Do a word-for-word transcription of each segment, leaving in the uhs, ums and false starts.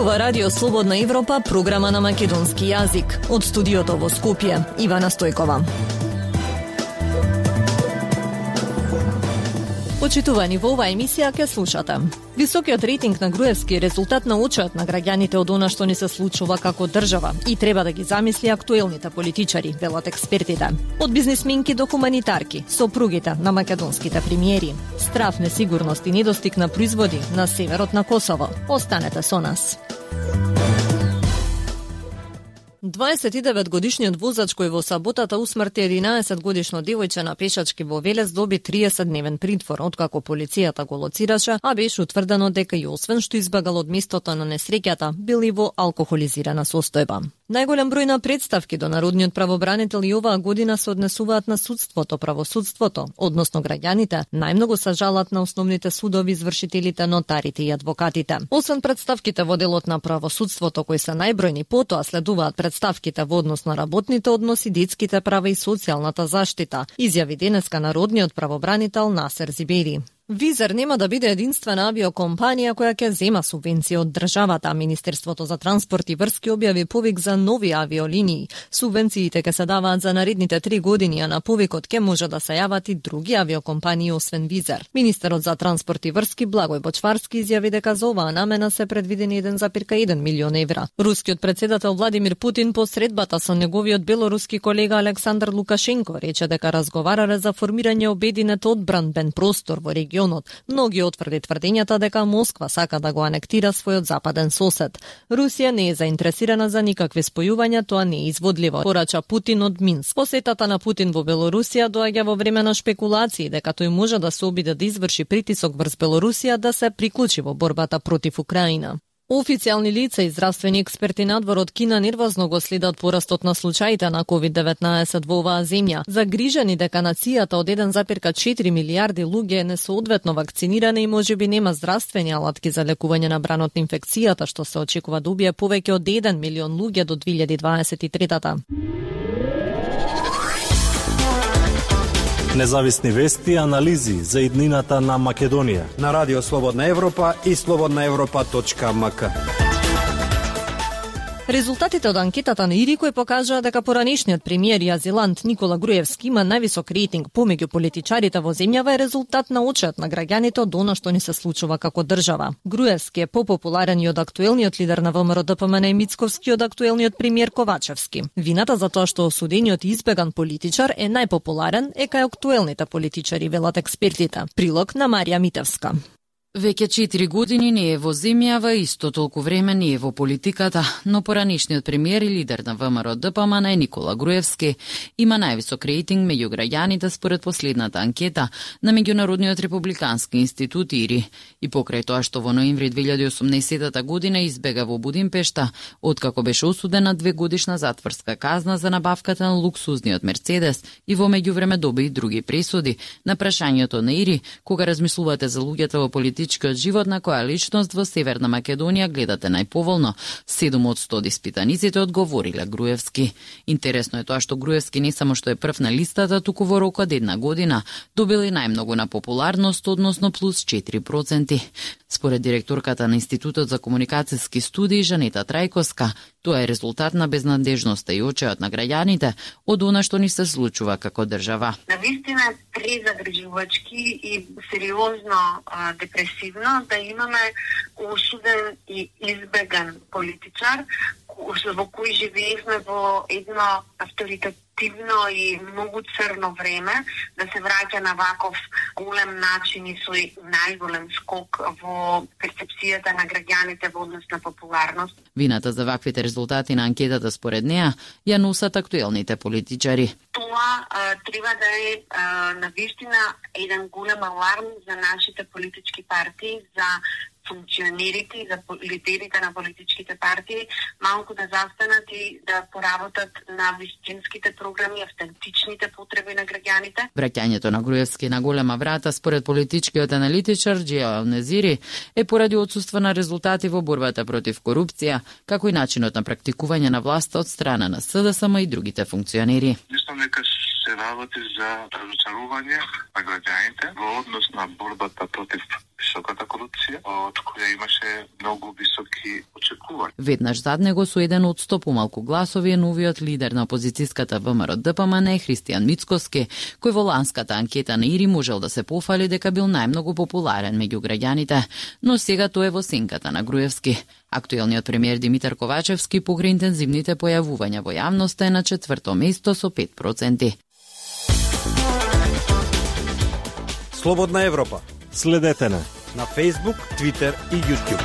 Зборува Радио Слободна Европа, програма на македонски јазик. Од студиото во Скопје, Ивана Стојкова. Почитувани, во оваа емисија ќе слушате. Високиот рейтинг на Груевски е резултат на очиот на граѓаните од она што ни се случува како држава и треба да ги замисли актуелните политичари, велат експертите. Од бизнисменки до хуманитарки, сопругите на македонските премиери. Страв, несигурност и недостиг на производи на северот на Косово. Останете со нас. дваесет и девет годишниот возач кој во саботата усмрти единаесет годишно девојче на пешачки во Велес доби триесет дневен притвор, откако полицијата го лоцираше, а беше утврдено дека и освен што избегал од местото на несреќата, бил и во алкохолизирана состојба. Најголем број на представки до народниот правобранител и оваа година се однесуваат на судството, правосудството, односно граѓаните, најмногу се жалат на основните судови, извршителите, нотарите и адвокатите. Освен представките во делот на правосудството кои се најбројни, потоа следуваат представките во однос на работните односи, детските права и социјалната заштита, изјави денеска народниот правобранител Насер Зибери. Визер нема да биде единствена авиокомпанија која ќе зема субвенција од државата. Министерството за транспорт и врски објави повик за нови авиолинии. Субвенциите ќе се даваат за наредните три години, а на повикот ќе може да се јават и други авиокомпании освен Визер. Министерот за транспорт и врски Благој Бочварски изјави дека за оваа намена се предвидени еден зарез еден милион евра. Рускиот председател Владимир Путин по средбата со неговиот белоруски колега Александар Лукашенко рече дека разговарале за формирање обединет одбранбен простор во регионот. Многи отврди тврдењата дека Москва сака да го анектира својот западен сосед. Русија не е заинтересирана за никакви спојувања, тоа не е изводливо, порача Путин од Минск. Посетата на Путин во Белорусија доаѓа во време на шпекулации дека тој може да се обиде да изврши притисок врз Белорусија да се приклучи во борбата против Украина. Официјални лица и здравствени експерти надвор од Кина нервозно го следат порастот на случаите на ковид деветнаесет во оваа земја. Загрижени дека нацијата од еден зарез четири милијарди луѓе е несоодветно вакцинирана и можеби нема здравствени алатки за лекување на бранот на инфекцијата, што се очекува да убие повеќе од еден милион луѓе до две илјади дваесет и трета. Независни вести и анализи за иднината на Македонија на Радио Слободна Европа и слободна европа точка ем ка. Резултатите од анкетата на ИРИ кој покажаа дека поранешниот премиер и азилант Никола Груевски има највисок рейтинг помеѓу политичарите во земјава е резултат на очиот на граѓаните од она што ни се случува како држава. Груевски е попопуларен и од актуелниот лидер на ВМРО Д П М Н Мицковски и од актуелниот премиер Ковачевски. Вината за тоа што осудениот и избеган политичар е најпопуларен е кај актуелните политичари, велат експертите. Прилог на Марија Митевска. Веќе четири години не е во земјава, исто толку време не е во политиката, но поранешниот премиер и лидер на ВМРО Д П М Н Никола Груевски има највисок рейтинг меѓу граѓаните според последната анкета на Меѓународниот републикански институт ИРИ. И покрај тоа што во ноември две илјади и осумнаесета година избега во Будимпешта, откако беше осуден на две годишна затворска казна за набавката на луксузниот Мерцедес и во меѓувреме доби и други пресуди, на прашањето на ИРИ кога размислувате за луѓето во политиката политичкиот живот на која личност во Северна Македонија гледате најповолно, седум од сто од испитаниците одговориле Груевски. Интересно е тоа што Груевски не само што е прв на листата, туку во рок од една година добил и најмногу на популарност, односно плюс четири проценти. Според директорката на Институтот за комуникацијски студии Жанета Трајковска, тоа е резултат на безнадежноста и очиот на граѓаните од она што ни се случува како држава. Навистина е презагрижувачки и сериозно а, депресивно да имаме осуден и избеган политичар во кој живеевме во едно авторитативно и многу црно време, да се враќа на ваков голем начин и со најголем скок во перцепцијата на граѓаните во однос на популарност. Вината за ваквите резултати на анкетата според неа ја носат актуелните политичари. Тоа а, треба да е а, навистина еден голем аларм за нашите политички партии, за функционерите и за лидерите на политичките партии малку да застанат и да поработат на вистинските програми, автентичните потреби на граѓаните. Враќањето на Груевски на голема врата според политичкиот аналитичар Џија Незири е поради отсуство на резултати во борбата против корупција, како и начинот на практикување на власта од страна на С Д С М и другите функционери. Мислам дека се работи за разочарување на граѓаните во однос на борбата против високата корупција, од која имаше многу високи очекувања. Веднаш зад него со еден од сто помалку гласови е новиот лидер на опозицијската ВМРО-ДПМН Христијан Мицкоски, кој во ланската анкета на Ири можел да се пофали дека бил најмногу популарен меѓу граѓаните, но сега тој е во сенката на Груевски. Актуелниот премиер Димитар Ковачевски покрај интензивните појавувања во јавноста е на четврто место со пет проценти. Слободна Европа. Следете на на Facebook, Twitter и YouTube.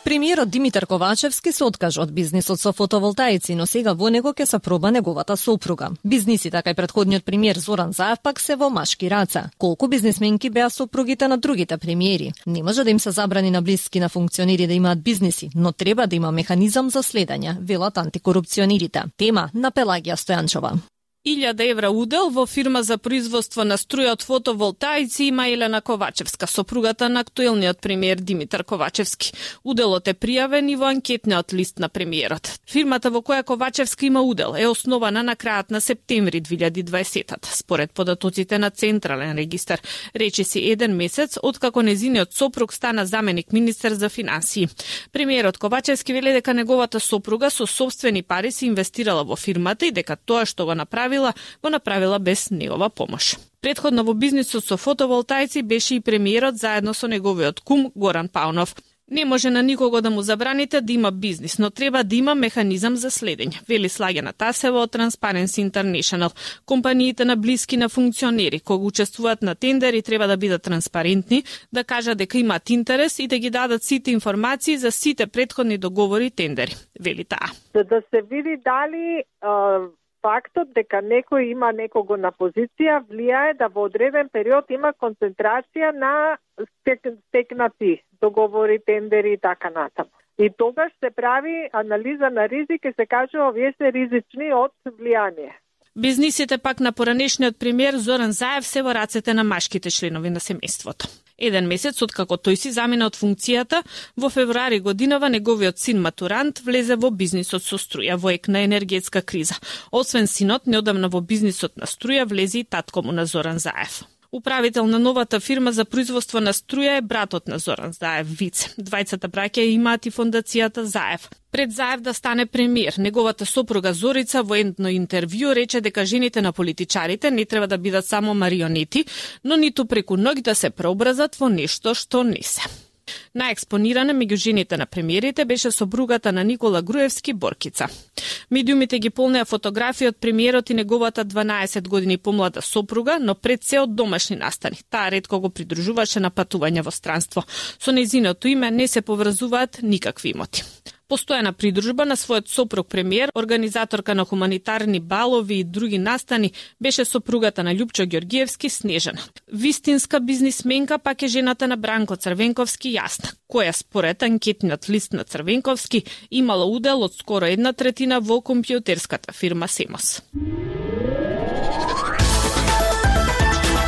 Премиерот Димитар Ковачевски се откажа од бизнисот со фотоволтаици, но сега во него ќе се проба неговата сопруга. Бизниси, така и претходниот премиер Зоран Заев пак се во машки раца. Колку бизнисменки беа сопругите на другите премиери? Не може да им се забрани на блиски на функционери да имаат бизниси, но треба да има механизам за следење, велат антикорупционерите. Тема на Пелагија Стојанчова. илјада евра удел во фирма за производство на струја од фотоволтаици има Елена Ковачевска, сопругата на актуелниот премиер Димитар Ковачевски. Уделот е пријавен и во анкетниот лист на премиерот. Фирмата во која Ковачевски има удел е основана на крајот на септември две илјади и дваесета. Според податоците на Централен регистар, речиси еден месец откако незиниот сопруг стана заменик министер за финансии. Премиерот Ковачевски вели дека неговата сопруга со сопствени пари се инвестирала во фирмата и дека тоа што го направи го направила без негова помош. Предходно во бизнисот со фотоволтаици беше и премиерот заедно со неговиот кум Горан Паунов. Не може на никого да му забраните да има бизнис, но треба да има механизам за следење, вели Слагена Тасева од Transparency International. Компаниите на блиски на функционери кога учествуваат на тендери треба да бидат транспарентни, да кажат дека имаат интерес и да ги дадат сите информации за сите предходни договори и тендери, вели таа. За да се види дали а... фактот дека некој има некого на позиција влијае да во одреден период има концентрација на стекнати договори, тендери и така натаму. И тогаш се прави анализа на ризик и се кажува овие се ризични од влијание. Бизнисите пак на поранешниот премиер Зоран Заев се во рацете на машките членови на семејството. Еден месец откако тој си замина од функцијата, во февруари годинава неговиот син матурант влезе во бизнисот со струја во ек на енергетска криза. Освен синот, неодамна во бизнисот на струја влезе и татко му на Зоран Заев. Управител на новата фирма за производство на струја е братот на Зоран Заев, Вице. Двајцата браќа имаат и фондацијата Заев. Пред Заев да стане премиер, неговата сопруга Зорица во едно интервју рече дека жените на политичарите не треба да бидат само марионети, но ниту преку ноќ да се преобразат во нешто што не се. Наекспонирана меѓу жените на премиерите беше сопругата на Никола Груевски, Боркица. Медиумите ги полнеа фотографии од премиерот и неговата дванаесет години помлада сопруга, но пред се од домашни настани. Таа ретко го придружуваше на патување во странство. Со нејзиното име не се поврзуваат никакви имоти. Постојана придружба на својот сопруг премиер, организаторка на хуманитарни балови и други настани, беше сопругата на Љупчо Ѓоргиевски, Снежана. Вистинска бизнисменка пак е жената на Бранко Црвенковски, Јасна, која според анкетниот лист на Црвенковски имала удел од скоро една третина во компјутерската фирма Семос.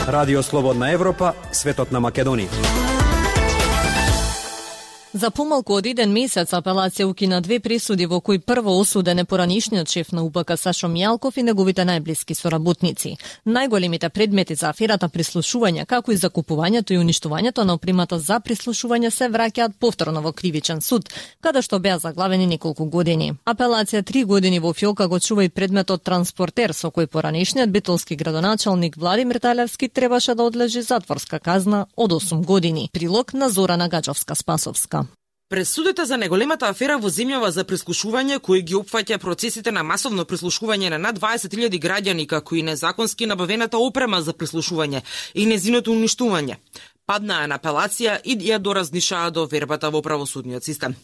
Радио Слободна Европа, светот на Македонија. За помалку од еден месец апелација укина две пресуди во кои прво осуден е поранишниот шеф на У П К Сашо Мијалков и неговите најблиски соработници. Најголемите предмети за аферата прислушување, како и закупувањето и уништувањето на опремата за прислушување се враќаат повторно во кривичен суд, каде што беа заглавени неколку години. Апелација три години во фиолка го чува и предметот транспортер, со кој поранишниот битолски градоначалник Владимир Талевски требаше да одлежи затворска казна од осум години. Прилог на Зорана Гаџовска-Спасовска. Пресудите за неголемата афера во земјава за прислушување, кој ги опфаќа процесите на масовно прислушување на над дваесет илјади граѓани, како и незаконски набавената опрема за прислушување и незиното уништување, паднаа на апелација и ја доразнишаа до вербата во правосудниот систем.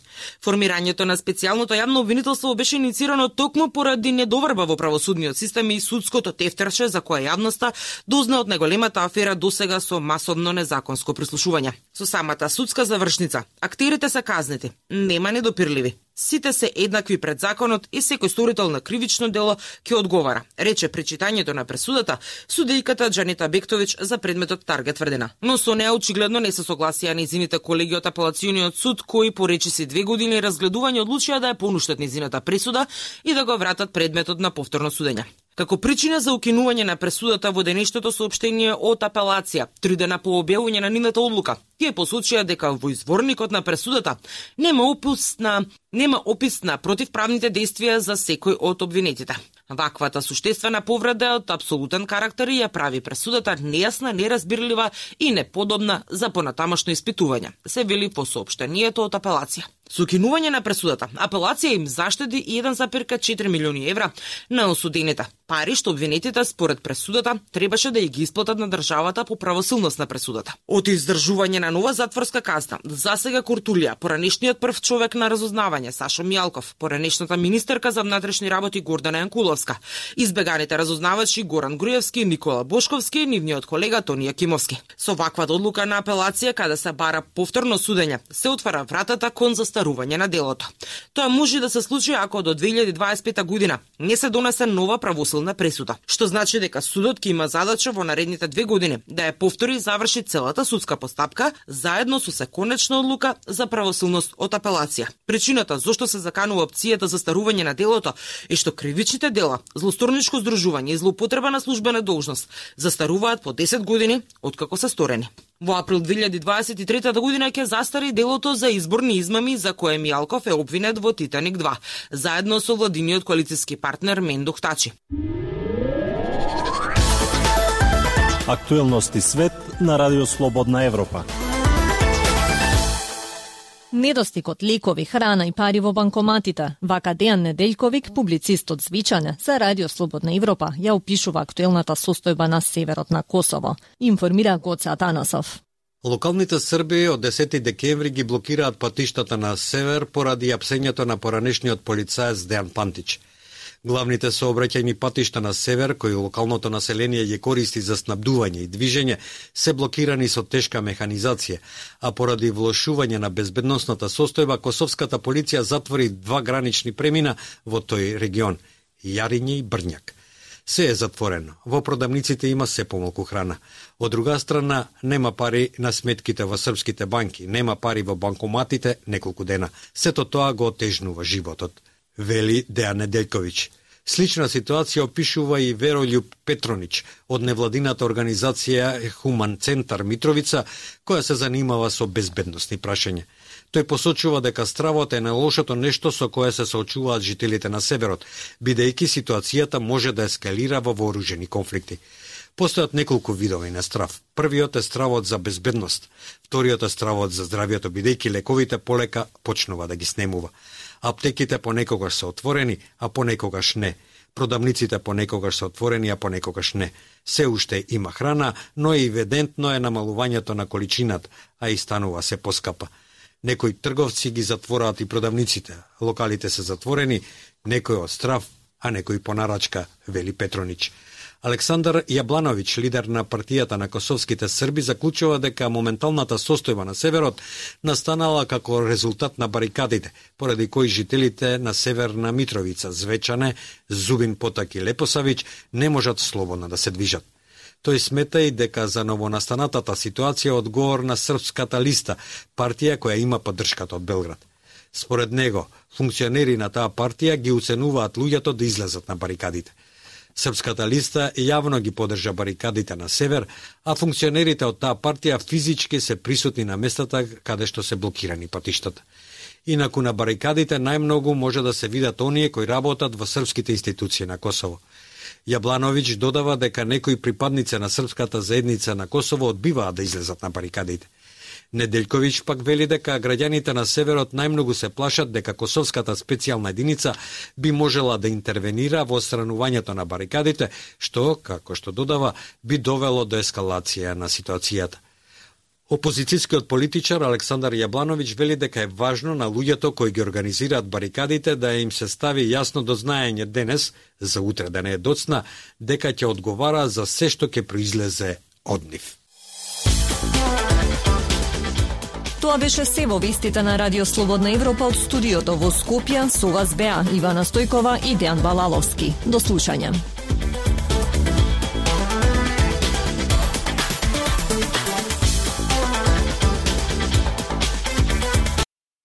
Формирањето на специјалното јавно обвинителство беше иницирано токму поради недоверба во правосудниот систем и судското тефтерче за која јавноста дозна од неголемата афера досега со масовно незаконско прислушување. Со самата судска завршница, актерите се казнети, нема недопирливи. Сите се еднакви пред законот и секој сторител на кривично дело ќе одговара, рече при читањето на пресудата судејката Џанита Бектовиќ за предметот Таргет тврдина. Но со неа очигледно не се согласија нејзините колеги од апелациониот суд, кои по речиси две години разгледување одлучија да ја понуштат нејзината пресуда и да го вратат предметот на повторно судење. Како причина за укинување на пресудата во денешното соопштение од апелација, три дена по објавување на нивната одлука, тие посочија дека во изворникот на пресудата нема опис на нема опис на противправните действија за секој од обвинетите. Ваквата суштествена повреда е од апсолутен карактер и ја прави пресудата нејасна, неразбирлива и неподобна за понатамошно испитување, се вели во соопштението од апелација. Со укинување на пресудата, апелација им заштеди еден зарез четири милиони евра на осудените, пари што обвинетите според пресудата требаше да ја ги исплатат на државата по правосилност на пресудата. Од издржување на нова затворска казна, засега Куртулија, поранешниот прв човек на разузнавање Сашо Мијалков, поранешната министерка за внатрешни работи Гордана Јанкуловска, избеганите разузнавачи Горан Груевски, Никола Бошковски и нивниот колега Тони Јакимовски. Со ваквата одлука на апелација, каде се бара повторно судење, се отвара вратата кон застарување на делото. Тоа може да се случи ако до две илјади дваесет и пета година не се донесе нова правосилна пресуда, што значи дека судот ќе има задача во наредните две години да ја повтори и заврши целата судска постапка заедно со законечна одлука за правосилност од апелација. Причината зошто се заканува опцијата за застарување на делото е што кривичните дела, злосторничко здружување и злоупотреба на службена должност застаруваат по десет години откако се сторени. Во април две илјади дваесет и трета година ќе застари делото за изборни измами за кое Мијалков е обвинет во Титаник два, заедно со владиниот коалициски партнер Мендо Тачи. Актуелности свет на Радио Слободна Европа. Недостигот лекови, храна и пари во банкоматите. Вака Дејан Неделјковик, публицист од Звичане, за Радио Слободна Европа, ја опишува актуелната состојба на северот на Косово. Информира Гоце Атанасов. Локалните срби од десети декември ги блокираат патиштата на север поради апсењето на поранешниот полицаец Дејан Пантич. Главните сообраќајни патишта на север, кои локалното население ги користи за снабдување и движење, се блокирани со тешка механизација, а поради влошување на безбедносната состојба, косовската полиција затвори два гранични премина во тој регион – Јариње и Брњак. Се е затворено. Во продавниците има се помалку храна. Од друга страна, нема пари на сметките во српските банки, нема пари во банкоматите неколку дена. Сето тоа го отежнува животот, вели Дејан Неделјковиќ. Слична ситуација опишува и Верољуб Петронич од невладината организација Хуман Центар Митровица, која се занимава со безбедносни прашања. Тој посочува дека стравот е најлошото нешто со кое се соочуваат жителите на северот, бидејќи ситуацијата може да ескалира во вооружени конфликти. Постојат неколку видови на страв. Првиот е стравот за безбедност, вториот е стравот за здравјето, бидејќи лековите полека почнува да ги снемува. Аптеките понекогаш се отворени, а понекогаш не. Продавниците понекогаш се отворени, а понекогаш не. Се уште има храна, но и евидентно е намалувањето на количината, а и станува се поскапа. Некои трговци ги затвораат и продавниците. Локалите се затворени, некој од страв, а некој по нарачка, вели Петронич. Александар Јаблановиќ, лидер на партијата на косовските срби, заклучува дека моменталната состојба на северот настанала како резултат на барикадите, поради кои жителите на Северна Митровица, Звечане, Зубин Потак и Лепосавиќ не можат слободно да се движат. Тој смета и дека за новонастанатата ситуација одговор на Српската листа, партија која има поддршката од Белград. Според него, функционери на таа партија ги уценуваат луѓето да излезат на барикадите. Српската листа јавно ги поддржа барикадите на север, а функционерите од таа партија физички се присутни на местата каде што се блокирани патиштата. Инаку на барикадите најмногу може да се видат оние кои работат во српските институции на Косово. Јаблановиќ додава дека некои припадници на српската заедница на Косово одбиваат да излезат на барикадите. Неделјковиќ пак вели дека граѓаните на северот најмногу се плашат дека косовската специјална единица би можела да интервенира во отстранувањето на барикадите, што, како што додава, би довело до ескалација на ситуацијата. Опозицијскиот политичар Александар Јаблановиќ вели дека е важно на луѓето кои ги организираат барикадите да им се стави јасно до знаење денес, за утре да не е доцна, дека ќе одговара за се што ќе произлезе од нив. Тоа беше се во вестите на Радио Слободна Европа од студиото во Скопје. Со вас беа Ивана Стојкова и Дејан Балаловски. До слушање.